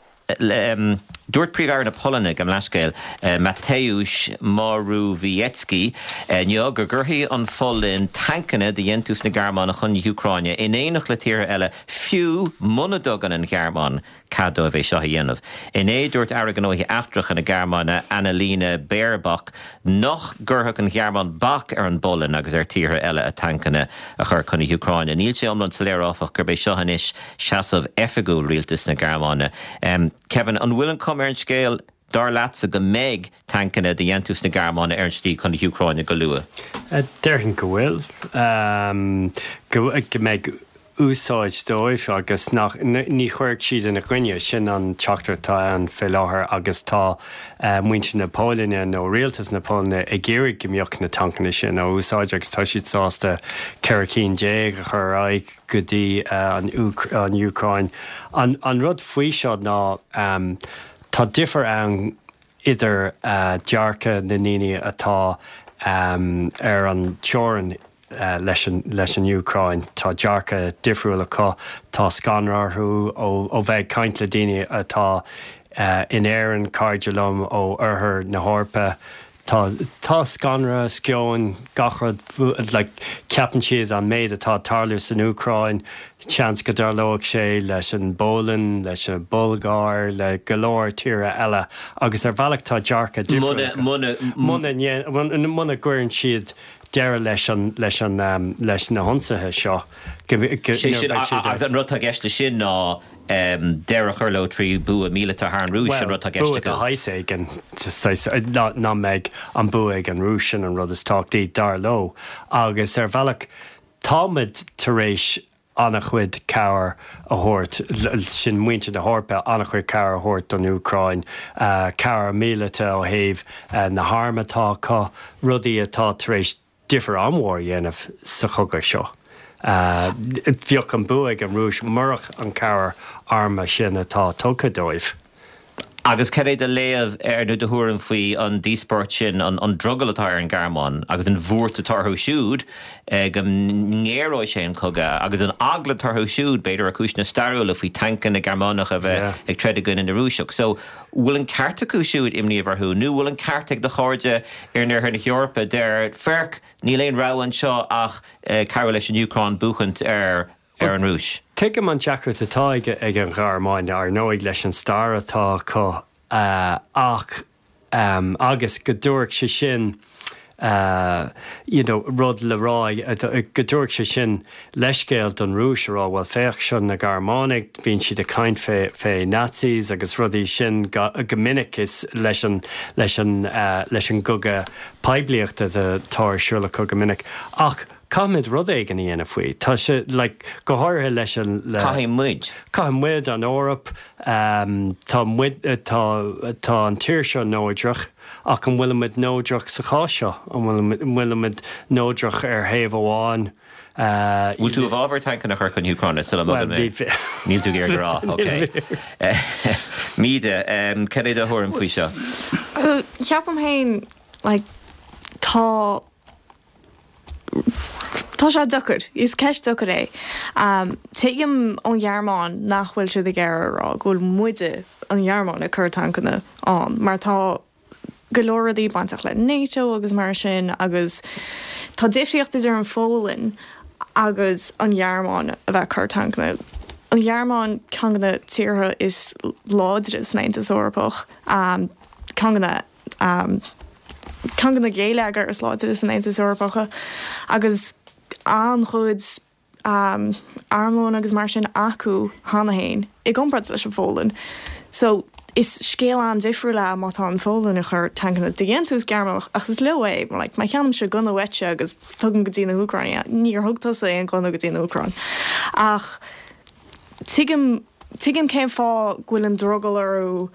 Dúirt Príomh-Aire na Polainne, gabh mo leithscéal, Mateusz Morawiecki, inniu go gcuirfidh an Pholainn tancanna de dhéantús na Gearmáine chun na hÚcráine in éineacht le tíortha eile, fiú muna dtugann an Ghearmáin cead dóibh é seo a dhéanamh. Inné, dúirt Aire Gnóthaí Eachtracha na Gearmáine, Annalena Baerbock, nach gcuirfeadh an Ghearmáin bac ar an bPolainn agus ar tíortha eile a tancanna a chur chun na hÚcráine. Níl sé iomlán soiléir, áfach, gurb é seo anois seasamh oifigiúil rialtas na Gearmáine. Kevin, an bhfuil an chuma ar an scéal, dar leatsa, go mbeidh tancanna de dhéantús na Gearmáine ar an slí chun na hÚcráine go luath?
Déarfainn go bhfuil. Go mbeidh úsáid dóibh agus nach, ní chuirfidh siad ina gcoinne. Sin an teachtaireacht atá ann fé láthair agus tá muintir na Polainne nó rialtas na Polainne ag iarraidh go mbeadh na tancanna sin á úsáid agus tá siad sásta ceithre cinn déag a chur ar aghaidh go dtí an Úcráin. An rud faoi seo ná tá difear ann idir dearcadh na ndaoine atá ar an teorainn leis an leis an Úcráin. Tá dearcadh difriúil acu, tá scanradh orthu ó bheith ag caint le daoine atá in Éirinn, cairde liom ó oirthear na hEorpa. Tá tá scanradh, sceon, gach rud, like, ceapann siad an méid atá ag tarlú san Úcráin, seans go dtarlóidh sé leis an bPolainn, leis an Bhulgáir, le go leor tíortha eile agus ar bhealach tá dearcadh difriúil acu.
Muna,
muna. Muna, muna gcuireann siad deireadh leis an, leis an, leis na hionsaithe seo, go, go,
Sé sin, agus an rud atá i gceist leis sin ná deireadh a chur leo trí bua míleata thar an Rúis, an rud atá i gceist
bua
acu.
de shaghas éigin, saghas, ná, ná mbeidh an bua ag an Rúis, sin an rud is tábhachtaí, dar leo. Agus ar bhealach, táimid tar éis an-chuid cabhair a thabhairt, sin muintir na hEorpa, an-chuid cabhair a thabhairt don Úcráin, cabhair míleata ó thaobh na hairm atá acu, rudaí atá tar éis difear an-mhór a dhéanamh sa chogadh seo. Bheadh an bua ag an Rúis murach an cabhair armtha sin atá tugtha dóibh.
Agus cad é do léamh ar, nó do thuairim faoi an díospóireacht sin, an drogall atá ar an Ghearmáin agus an bhuairt atá orthu siúd go ngéaróidh sé an cogadh agus an eagla atá orthu siúd, b'fhéidir ar chúiseanna stairiúla, faoi tancanna Gearmánacha a bheith ag troid i gcoinne na Rúiseach. So, bhfuil an ceart acu siúd imní a bheith orthu nó bhfuil an ceart ag do chairde in oirthear na hEorpa a deir, féach, níl aon rogha anseo ach cabhrú leis an Úcráin buachaint ar ar an Rúis.
Tuigim an deacracht atá ag an Ghearmáin, ar ndóigh, leis an stair atá acu ach, agus go dtabharfadh sé sin you know, rud le rá go dtabharfadh sé sin leithscéal don Rúis a rá well féach seo na Gearmánaigh bíonn siad ag caint fé fé Nazis agus rudaí sin go, go minic is leis an leis an uh, leis an gcogadh poiblíochta atá ar siúl acu go minic. Ach caithfimid rud éigin a dhéanamh faoi. Tá sé like, go háirithe leis an le
Caithfidh muid.
Caithfidh muid an Eoraip um, tá muid tá tá an tír seo neodrach ach an bhfuilimid neodrach sa chás seo an bhfuilimid neodrach ar thaobh amháin. Uh,
Bhfuil tú i bhfabhar tancanna a chur chun na hÚcráine sula mbogann mé? Níl tú ag rá, ok. Míde, cad é do thuairim faoi seo?
Ceapaim féin like, tá Tá sé deacair, is ceist deacair é. Um, Tuigim ón Ghearmáin nach bhfuil siad ag iarraidh a rá go bhfuil muide an Ghearmáin ag cur tancanna ann, mar tá go leor rudaí bainteach le NATO agus mar sin agus tá difríocht idir an Pholainn agus an Ghearmáin a bheith cur tancanna. An Ghearmáin ceann de na tíortha is láidre san Aontas Eorpach, um, ceann de na um, ceann de na geilleagair is láidre san Aontas Eorpach agus an-chuid um, armlón agus mar sin acu cheana féin i gcomparáid leis an Pholainn. So is scéal an-difriúil é má tá an Pholainn ag cur tancanna de dhéantús Gearmánach ach is leo é like, má cheannaímse gunna uaitse agus tugaim go dtí na hÚcráine, níor thug tusa aon gunna go dtí na hÚcráin. Ach tuigim tuigim cén fáth go bhfuil an drogall orthu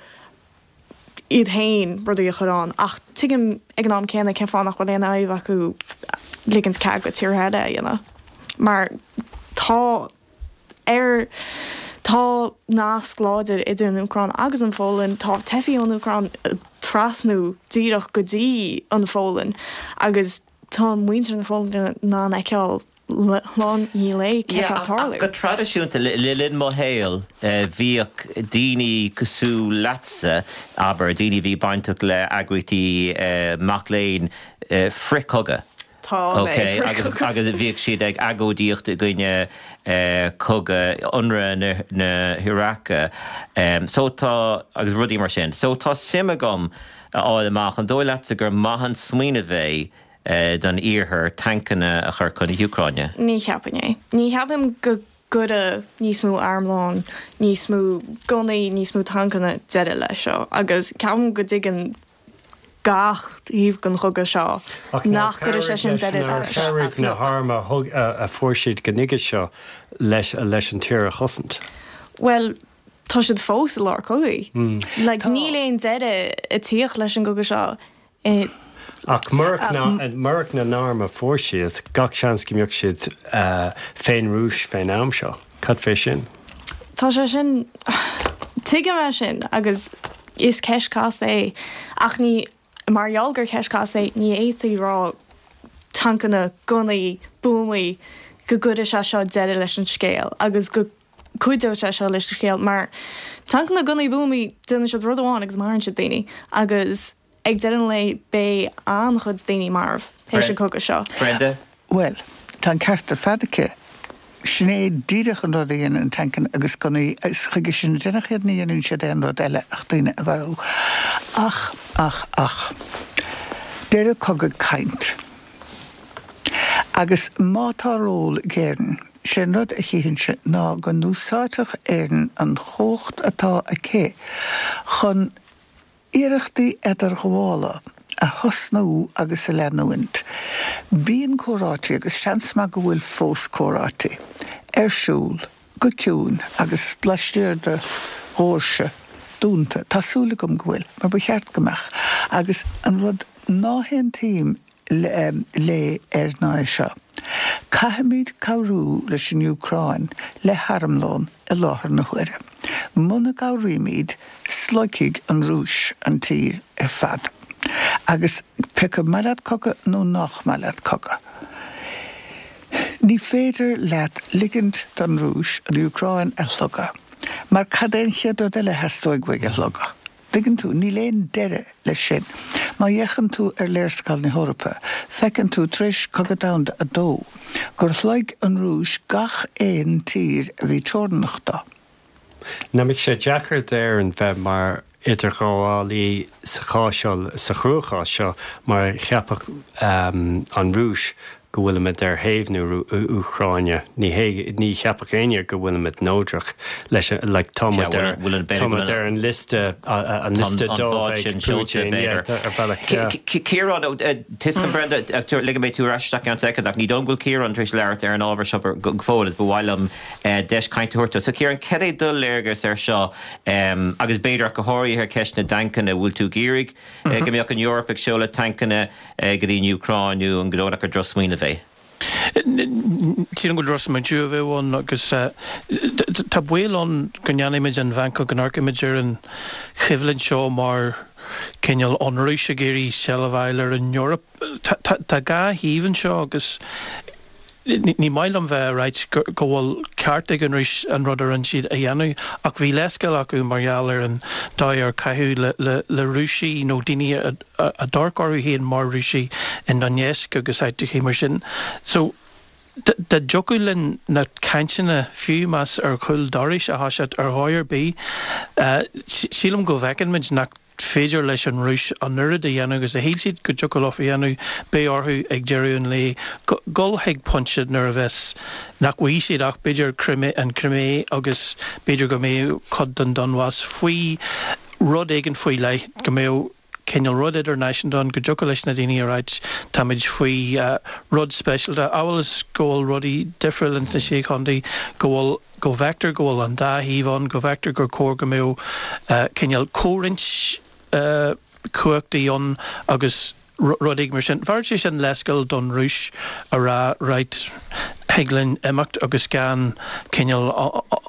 iad féin rudaí a chur ann ach tuigim ag an am céanna cén fáth nach bhfuil aon fhadhb acu ligint cead go tíortha eile a dhéanamh. Mar tá ar tá nasc láidir idir an Úcráin agus an Pholainn, tá teifigh ón Úcráin trasnú díreach go dtí an Pholainn agus tá muintir na Polainne in ann a fheiceáil lá i ndiaidh lae cé atá ag tarlú.
Go traidisiúnta le linn mo shaoil bhíodh daoine cosúil leatsa, abair, daoine a bhí bainteach le eagraíochtaí mac léinn frithchogadh.
Tá mé
Okay, agus
frithchogadh.
agus bhíodh siad ag agóidíocht i gcoinne cogadh ionradh na, na hIaráice. Um, so tá agus rudaí mar sin. So tá suim agam a fháil amach an dóigh leatsa gur maith an smaoineamh é uh, don iarthar tancanna a chur chun na hÚcráine.
Ní cheapaim é. Ní cheapaim go gcuirfeadh níos mó armlón, níos mó gunnaí, níos mó tancanna deireadh leis seo, agus ceapaim go dtuigeann gach taobh den chogadh seo nach gcuirfidh sé sin deireadh
Nár
leis.
chabhraigh na hairm a thug a a fuair siad go nuige seo leis leis an tír a chosaint.
Well, tá siad fós i lár cogaidh. Like, níl aon deireadh ag tíocht leis an gcogadh seo. Eh,
Ach murach na murach na n-arm a fuair siad gach seans go mbeadh siad uh, fén Rúis fén am seo. Cad fé sin?
Tá sé sin tuigim é sin agus is ceist casta é ach ní mar gheall gur ceist casta é ní fhéadfaí rá tancanna gunnaí buamaí go gcuirfidh sé seo deireadh leis an scéal agus go cuideoidh sé seo leis an scéal mar tancanna gunnaí buamaí déanann siad rud amháin agus maraíonn siad daoine agus ag deireadh an lae beidh an-chuid daoine marbh théis an cogadh seo.
Brenda?
Well, tá an ceart ar fad aici. Sin é díreach an rud a dhéanann tancanna agus gunnaí is chuige sin déanach iad ní dhéanann siad aon rud eile ach daoine a mharú. Ach, ach, ach. Deireadh cogadh caint. Agus má tá ról ag Éirinn, sé an rud a chífinn ná go n-úsáidfeadh Éirinn an chumhacht atá aici chun iarrachtaí idirghabhála a thosnú agus a leanúint. Bíonn comhráití agus seans maith go bhfuil fós comhráití ar siúl go ciúin agus laistiar de dhoirse dúnta. Tá súil agam go bhfuil, mar ba cheart go mbeadh. Agus an rud ná haontaím le, le ar ná é seo. Caithfimid cabhrú leis an Úcráin le harmlón i láthair na huaire. Muna gcabhraímid sloigfidh an Rúis an tír ar fad. Agus pé acu maith leat cogadh nó nach maith leat cogadh. Ní féidir leat ligint don Rúis an Úcráin a shlogadh, mar cad é an chéad rud eile a theastóidh uaidh a shlogadh. Tuigeann tú níl aon deireadh leis sin. Má fhéachann tú ar léarscáil na hEorpa, feiceann tú tar éis Cogadh Domhanda a dó, gur shlog an Rúis gach aon tír a bhí teorannach dó.
Nach mbeadh sé deacair d'Éirinn bheith mar idirghabhálaí sa chás seo, sa chruachás seo, mar cheapfadh an Rúis go bhfuilimid ar thaobh na Úcráine. Ní hé, ní cheapfadh éinne go bhfuilimid neodrach leis an, like, tá muid ar, tá muid ar an liosta, an liosta dubh ag Putin, yeah, ar bhealach, yeah.
Ciarán, tuigim Brenda, ligfidh mé tú ar ais isteach i gceann soicind ach ní dóigh liom go bhfuil Ciarán tar éis labhairt ar an ábhar seo go fóill agus ba mhaith liom deis cainte a thabhairt dó. So Ciarán, cad é do léargas ar seo agus b'fhéidir ach go háirithe ar cheist na dtancanna, bhfuil tú ag iarraidh go mbeadh an Eoraip ag seoladh tancanna go dtí an Úcráin nó an dóigh leat gur drochsmaoineamh é?
Sílim gur drochsmaoineamh a bheadh ann agus tá baol ann go ndéanfaimid an mheancóg, go n-amharcaimid ar an choimhlint seo mar cineál an Rúis ag iarraidh seilbh a fháil ar an Eoraip. Tá dhá thaobh anseo agus ní maith liom bheith ag ráit go bhfuil ceart ag an Rúis an rud a rinne siad a dhéanamh ach bhí leithscéal acu mar gheall ar an dóigh ar caitheadh le le Rúisigh nó daoine a a d'amharc orthu féin mar Rúisigh in Donetsk agus áiteachaí mar sin. So dá dtiocfadh linn na cainteanna, fiú más ar chúl dorais a thoiseacht ar dhóigh ar bith, sílim go bhfeiceann muid nach féidir leis an Rúis an oiread a dhéanamh agus a shíl siad go dtiocfadh leo a dhéanamh, beidh orthu ag deireadh an lae dul chuig pointe nuair a bheas, nach bhfaighidh siad ach b'fhéidir an Chrimé agus b'fhéidir go mbeadh cuid den Donbas faoi rud éigin faoi leith, go mbeadh cineál rud idirnáisiúnta ann, go dtiocfadh leis na daoine a ráit táimid faoi rud speisialta, amhail is go bhfuil rudaí difriúil ins na Sé Chontae, go bhfuil. go bhfeictear go bhfuil an dá thaobh ann, go bhfeictear gur chóir go mbeadh cineál comhroinnt cumhachtaí ann agus rud éigin mar sin. Bheadh sé sin leithscéal don Rúis a rá right, thig linn imeacht agus gan cineál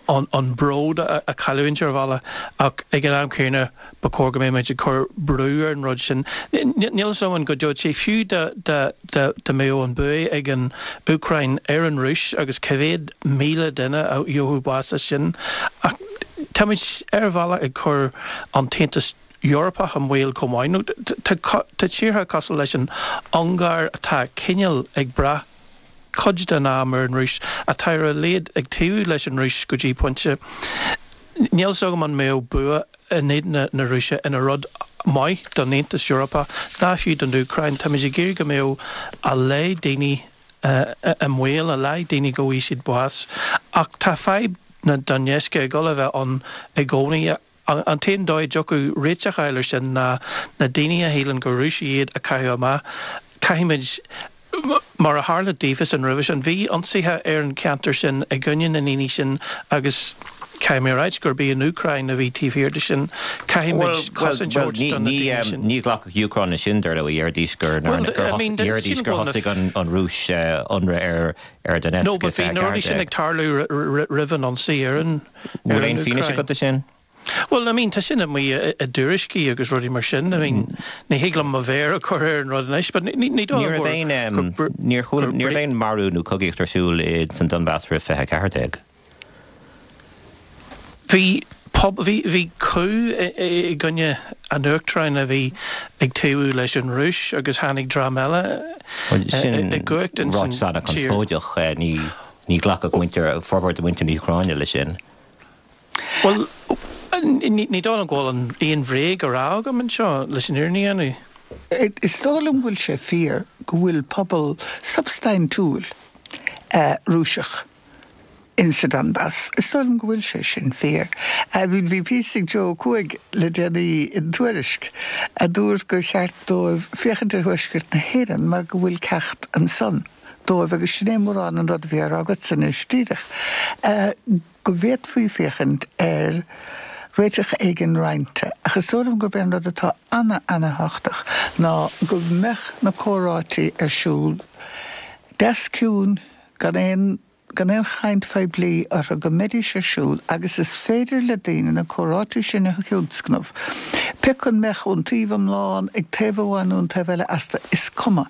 an bród a chailliúint ar bhealach ach ag an am céanna ba chóir go mbeadh muid ag cur brú ar an rud sin. Níl fhios agam an gcuideodh sé fiú dá mbeadh an bua ag an Úcráin ar an Rúis agus cá mhéad míle duine a gheobhadh bás as sin. Ach táimid ar bhealach ag cur an tAontas Eorpach i mbaol chomh maith. Nó tá tíortha cosúil leis an Ungáir atá cineál ag brath cuid den am ar an Rúis, atá ar a laghad ag taobhú leis an Rúis go dtí pointe. Níl fhios agam an mbeadh bua in éadan na Rúise ina rud maith don Aontas Eorpach ná fiú don Úcráin. Táimid ag iarraidh go mbeadh a laghad daoine i mbaol, a laghad daoine go bhfaighidh siad bás. Ach tá fadhb na Donetsk ag dul a bheith ann i gcónaí. An t-aon dóigh a dtiocfadh réiteach a fháil air sin ná na daoine a shíleann gur Rúisigh iad a chaitheamh amach. Caithfimid, mar a tharla daofasan roimhe sin, bhí ionsaithe ar an cheantar sin i gcoinne na ndaoine sin agus caithfidh mé a ráit gurb í an Úcráin a bhí taobh thiar de sin. Caithfimid cosaint a thabhairt do na daoine sin.
Ní ghlacfadh Úcráin leis sin, dar ndóigh, déarfaidís gur déarfaidís gur thosaigh an Rúis ionradh ar ar Donetsk
No, but bhí na rudaí sin ag tarlú roimh an ionsaí ar an
Bhfuil aon fianaise
Úcráin.
agat de sin?
Bhuel, I mean, tá sin amuigh i dtuairiscí agus rudaí mar sin. I mean, ní thig liom mo mhéar a chur ar an rud anois, but ní ní dóigh
Ní
liom
raibh aon,
gur
níor chuala,
gur
ní raibh aon marú nó cogaíocht ar siúl i san Donbas roimh fiche a ceathair déag.
Bhí pub, bhí bhí coup i gcoinne an uachtaráin a bhí ag taobhú leis an Rúis agus tháinig dream eile
Bhuel, sin
i gcumhacht ins an
ráiteas
tír.
an-chonspóideach. Ní ní ghlacfadh muintir, formhór de mhuintir na hÚcráine leis sin.
Bhuel, ní dóigh liom go bhfuil aon bhréag á rá agam anseo, leis an fhírinne a dhéanamh.
Is dóigh liom go bhfuil sé fíor go bhfuil pobal substaintiúil Rúiseach in sa Donbas. Is dóigh liom go bhfuil sé sin fíor. Bhí píosa ag Joe Ó Cuaig le déanaí in Tuairisc a dúirt gur cheart dóibh féachaint ar thuaisceart na hÉireann mar go bhfuil ceacht ansan dóibh agus sin é mórán an rud a bhí á rá agatsa anois díreach. go bhféadfaí féachaint ar réiteach éigin roinnte, ach is dóigh liom gurb é an rud atá ana-ana-thábhachtach ná go mbeadh na comhráití ar siúl deas ciúin, gan aon gan aon chaint phoiblí orthu, go mbeidís ar siúl agus is féidir le daoine na comhráití sin a thionscnamh, pé acu an mbeadh iontaoibh iomlán ag taobh amháin nó an taobh eile astu, is cuma,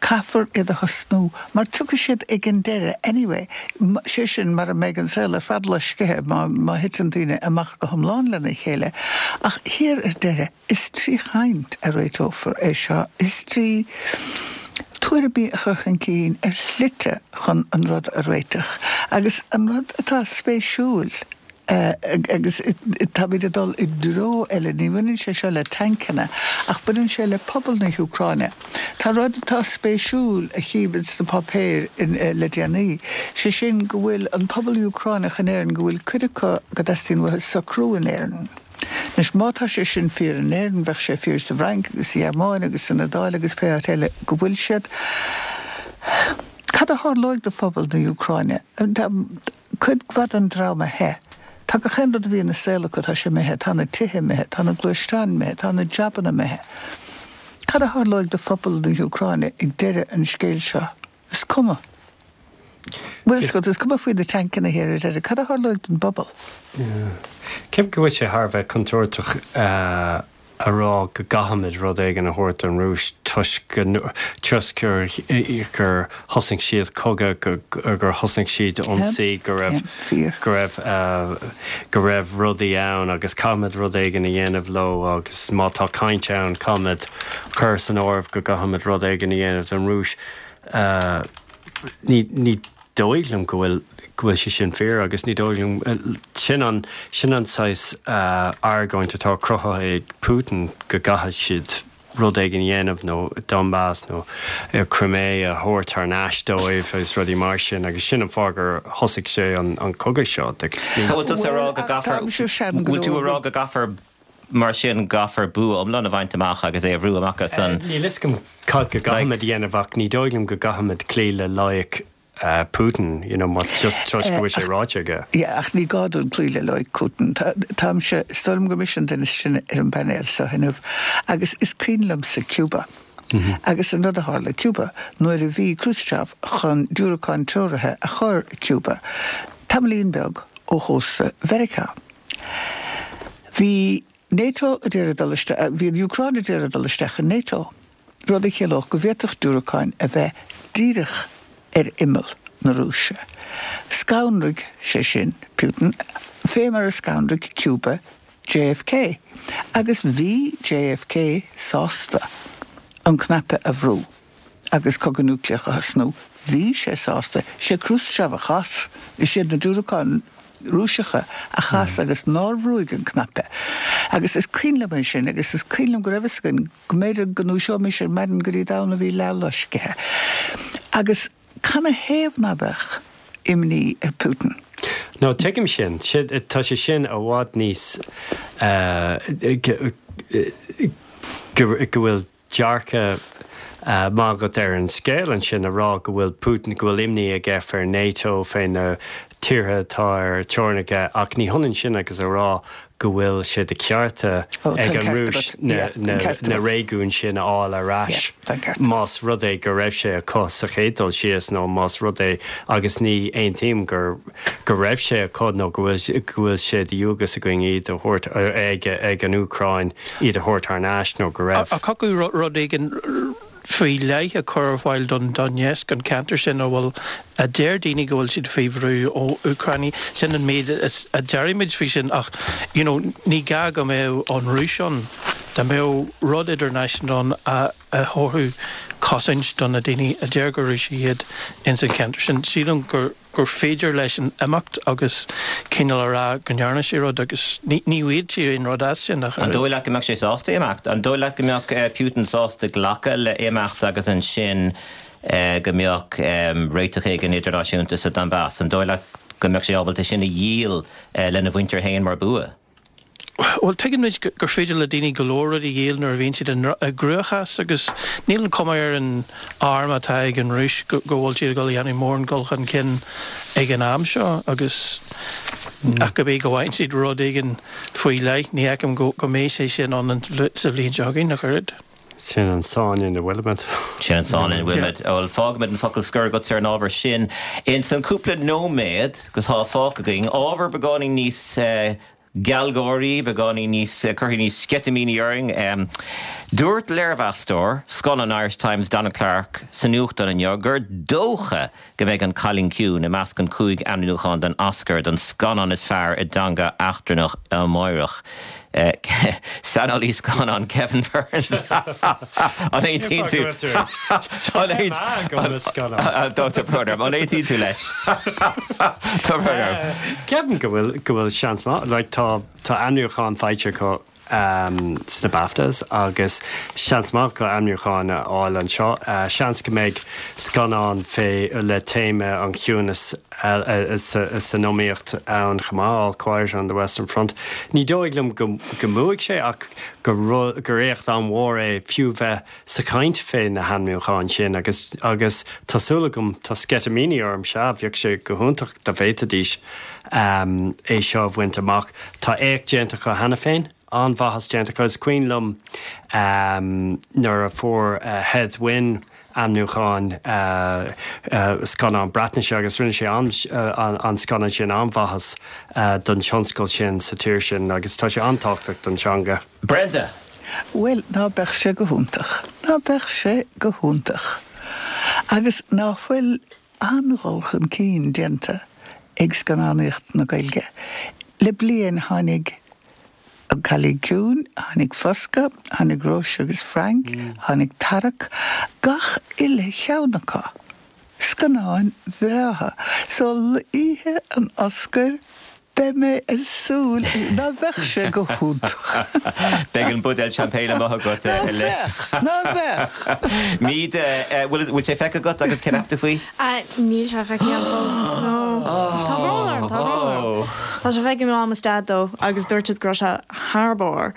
caithfear iad a thosnú mar tiocfaidh siad ag an deireadh anyway, sé sin mara mbeidh an saol ar fad loiscithe má má thiteann daoine amach go hiomlán lena chéile. Ach thiar ar deireadh, is trí chaint a réiteofar é seo, is trí tuairimí a chur chun cinn ar shlite chun an rud a réiteach. Agus an rud atá spéisiúil, Agus táimid ag dul i dtreo eile, ní bhaineann sé seo le tancanna, ach baineann sé le pobal na hÚcráine. Tá rud atá spéisiúil a chím sna páipéir le déanaí, sé sin go bhfuil an pobal Úcránach in Éirinn, go bhfuil cuid acu go dteastaíonn uathu socrú in Éirinn. Anois má tá sé sin fíor in Éirinn, bheadh sé fíor sa bhFrainc agus sa Ghearmáin agus san Iodáil agus pé áit eile go bhfuil siad. Cad a tharlóidh do phobal na hÚcráine? Tá cuid mhaith den dream imithe. Tá gach aon rud a bhí ina saol acu, tá sé imithe, tá na tithe imithe, tá na gluaisteáin imithe, tá na jabanna imithe. Cad a tharlóidh do phobal na hÚcráine ag deireadh an scéil seo? Is cuma. Bhuel, is is cuma faoi na tancanna thiar ar deireadh. Cad a tharlóidh don bpobal?
Ceapaim go bhfuil sé thar a bheith contúirteach a rá go gcaithfimid rud éigin a thabhairt don Rúis toisc go toisc gur gur thosaigh siad cogadh, gur thosaigh siad ionsaí, go raibh go raibh go raibh rudaí ann agus caithfimid rud éigin a dhéanamh leo agus má tá caint ann caithfimid cur san áireamh go gcaithfimid rud éigin a dhéanamh don Rúis. Ní ní dóigh liom go bhfuil go bhfuil sé sin fíor agus ní dóigh liom sin an sin an saghas argóint atá cruthaithe ag Putin go gcaithfidh siad rud éigin a dhéanamh nó Donbass nó Crimea a thabhairt thar n-ais dóibh agus rudaí mar sin agus sin an fáth gur thosaigh sé an an cogadh seo agus
ní So bhfuil tú a rá go gcaithfear bhfuil tú a rá go gcaithfear mar sin gcaithfear bua iomlán a bhaint amach agus é a bhrú amach as an
Níl fhios agam cad go gcaithfimid a dhéanamh ach ní dóigh liom go gcaithfimid cloí le loighic Putin, you know, má just toisc go bhfuil sé ráite aige.
Yeah, ach ní gá dúinn cloí le loighic Putin. Táimse, is dóigh liom gur mise an duine is sine ar an bpainéal seo inniu agus is cuimhin liomsa Cuba. Agus an rud a tharla i Cuba nuair a bhí Khrushchev chun diúracáin treoraithe a chur i Cuba, tamaillín beag ó chósta Mheiriceá. Bhí NATO ag iarraidh dul isteach, bhí an Úcráin ag iarraidh dul isteach in NATO, rud a chiallódh go bhféadfadh diúracáin a bheith díreach ar imeall na Rúise. Scanraigh sé sin Putin, fé mar a scanraigh Cuba JFK. Agus bhí JFK sásta an cnaipe a bhrú agus cogadh núicléach a thosnú. Bhí sé sásta. Sé Khrushchev a chas, is iad na diúracáin Rúiseacha a chas agus nár bhrúigh an cnaipe. Agus is cuimhin liom é sin agus is cuimhin liom go raibh fhios againn go mb'fhéidir go ndúiseoimis ar maidin go dtí domhan a bhí leathloiscithe. Agus canathaobh ná beadh imní ar Putin?
No, tuigim sin. Tá sé sin i bhfad níos go bhfuil dearcadh maith agat ar an scéal ansin a rá go bhfuil Putin, go bhfuil imní aige fé NATO, fé na tíortha atá ar teorainn aige ach ní hionann sin agus a rá go bhfuil sé de chearta ag an Rúis na réigiúin sin a fháil ar ais más rud é go raibh sé acu sa chéad dul síos nó más rud é agus ní aontaím gur go raibh sé acu nó go bhfuil go bhfuil sé de dhualgas againn iad a thabhairt ag ag an Úcráin iad a thabhairt thar n-ais nó go raibh.
Ach thiocfadh rud éigin faoi leith a chur ar fáil don Donetsk, an ceantar sin a bhfuil, a deir daoine go bhfuil siad faoi bhrú ó Úcránaigh. Sin an méid a deirimid faoi sin ach you know ní gá go mbeadh an Rúis ann. Dá mbeadh rud idirnáisiúnta ann a thabharfadh cosaint do na daoine a deir gur Rúisigh iad ins an cheantar sin, sílim gur gur féidir leis an imeacht agus cineál a rá go ndearna sé rud agus ní bhfaighidh sé aon rud as sin ach
An dóigh leat go mbeadh sé sásta imeacht? An dóigh leat go mbeadh Putin sásta glacadh le imeacht agus ansin go mbeadh réiteach éigin idirnáisiúnta sa Donbass? An dóigh leat go mbeadh sé ábalta sin a dhíol lena mhuintir féin mar bua?
Bhuel, tuigeann muid gur féidir le daoine go leor rudaí a dhíol nuair a bhíonn siad i gcruachás agus níl an chuma ar an arm atá ag an Rúis go bhfuil siad ag dul a dhéanamh mórán dul chun cinn ag an am seo agus ach go mb'fhéidir go bhfaigheann siad rud éigin faoi leith, ní fheicim go mbeidh sé sin ann sa bhliain seo chugainn ach oiread.
Sin an sáinn ina bhfuilimid.
Sin an sáinn ina bhfuilimid. Bhuel, fágfaimid an focal scoir agatsa ar an ábhar sin. Ins an cúpla nóiméad atá fágtha againn, ábhar beagáinín níos gealgháirí, beagáinín níos, cuirfidh níos sceitimíní orainn. Dúirt léirmheastóir scannán an Irish Times, Donald Clarke, sa nuachtán inniu gur dócha go mbeidh An Cailín Ciúin i measc an cúig ainmniúchán don Oscar don scannán is fearr i dteanga eachtrannach amáireach. Saineolaí scannán Kevin Burns. An aontaíonn tú? Tá brón orm, an aontaíonn tú leis? Tá brón orm.
Ceapaim go bhfuil go bhfuil seans maith, like tá tá ainmniúchán faighte acu sna BAFTAs agus seans maith acu ainmniúchán a fháil anseo. Seans go mbeidh scannán fé le téama an chiúnas san iomaíocht ann chomh maith, All Quiet on the Western Front. Ní dóigh liom go mbuafaidh sé ach gur éacht an-mhór é fiú bheith sa chaint fé na hainmniúcháin sin agus agus tá súil agam, tá sceitimíní orm, sea, bheadh sé go hiontach dá bhféadfaidís é seo a bhaint amach. Tá éacht déanta acu cheana féin, an-mhaitheas déanta acu. Is cuimhin liom nuair a fuair Hedd Wyn ainmniúchán scannán Breatnaise agus rinne sé an scannán sin an-mhaitheas don tionscal sin sa tír sin agus tá sé an-tábhachtach don teanga.
Brenda.
Bhuel, ná beadh sé go hiontach? Ná beadh sé go hiontach? Agus ná fuil an-dhul chun cinn déanta ag scannánaíocht na Gaeilge? Le bliain tháinig An Cailín Ciúin, tháinig Foscadh, tháinig Róise agus Frank, tháinig Tarrac, gach uile cheann acu, scannáin bhreátha. So oíche an Oscair, beidh mé ag súil, ná bheadh sé go hiontach?
Beidh an buidéal champagne amuigh agat.
Ná bheadh, ná bheadh.
Míde, bhfuil sé feicthe agat agus cén cheap tú faoi?
Níl sé feicthe agam fós, no. Tá brón orm, tá brón orm. Tá sé feicthe ag Mam is Dad though agus dúirt siad go raibh sé thar barr.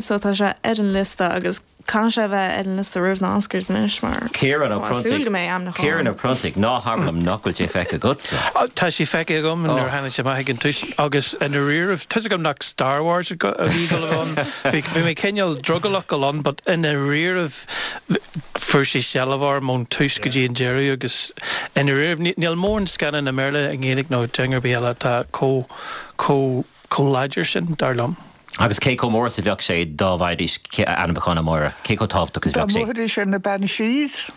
So tá sé ar an liosta agus caithfidh sé a bheith ar an liosta roimh na Oscars anois mar
Ciarán Ó
tá súil go mbeidh
ainmniúchán. Ciarán Ó Pronntaigh, ná habair liom nach bhfuil sé feicthe agatsa.
Tá sé feicthe agam nuair a tháinig sé amach ag an tús agus i ndáiríribh, tá's agam nach Star Wars a bhí ag dul a bheith ann, bhí bhí mé cineál drogallach dul ann but i ndáiríribh fuair sé seilbh orm ón tús go dtí an deireadh agus i ndáiríribh níl mórán scannán i mBéarla, i nGaeilge nó i dteanga ar bith eile atá chomh chomh chomh láidir sin, dar liom.
Agus cé chomh mór is a bheadh sé dá bhfaighidís ainmniúchán amárach? Cé chomh tábhachtach is a
Dá
bheadh sé?
mbuafaidís ar na Banshees.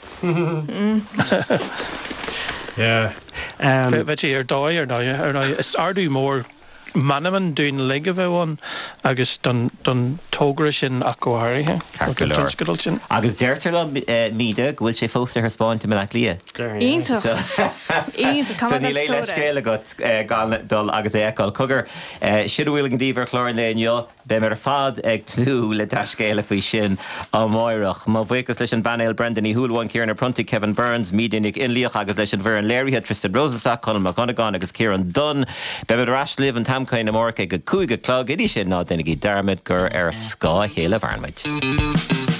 Yeah.
Bheadh sé ar dóigh, ar ndóigh, ar ndóigh. Is ardú mór meanman dúinn uilig a bheadh ann agus don don togra sin ach go háirithe,
Ceart go
don
leor.
tionscadal sin.
Agus deirtear liom, Míde, go bhfuil sé fós ar thaispeáint i mBaile Átha Cliath.
Iontach! Iontach!
So níl aon leithscéal agat gan dul agus é a fheiceáil. Cogar, sin a bhfuil againn daoibh ar chlár an lae inniu. Beimid ar fad ag tnúth le dea-scéala faoi sin amárach. Mo bhuíochas leis an bpainéal, Brenda Ní Shúilleabháin, Ciarán Ó Pronntaigh, Kevin Burns, Míde Nic Fhionnlaoich agus leis an bhfoireann léirithe, Tristan Rosenstock, Conall Mac Dhonnagáin agus Ciarán Dunne. Beimid ar ais libh an t-am céanna amárach ag a cúig a chlog. Go dtí sin, ná déanaigí dearmad gur ar scáth a chéile a mhaireann muid.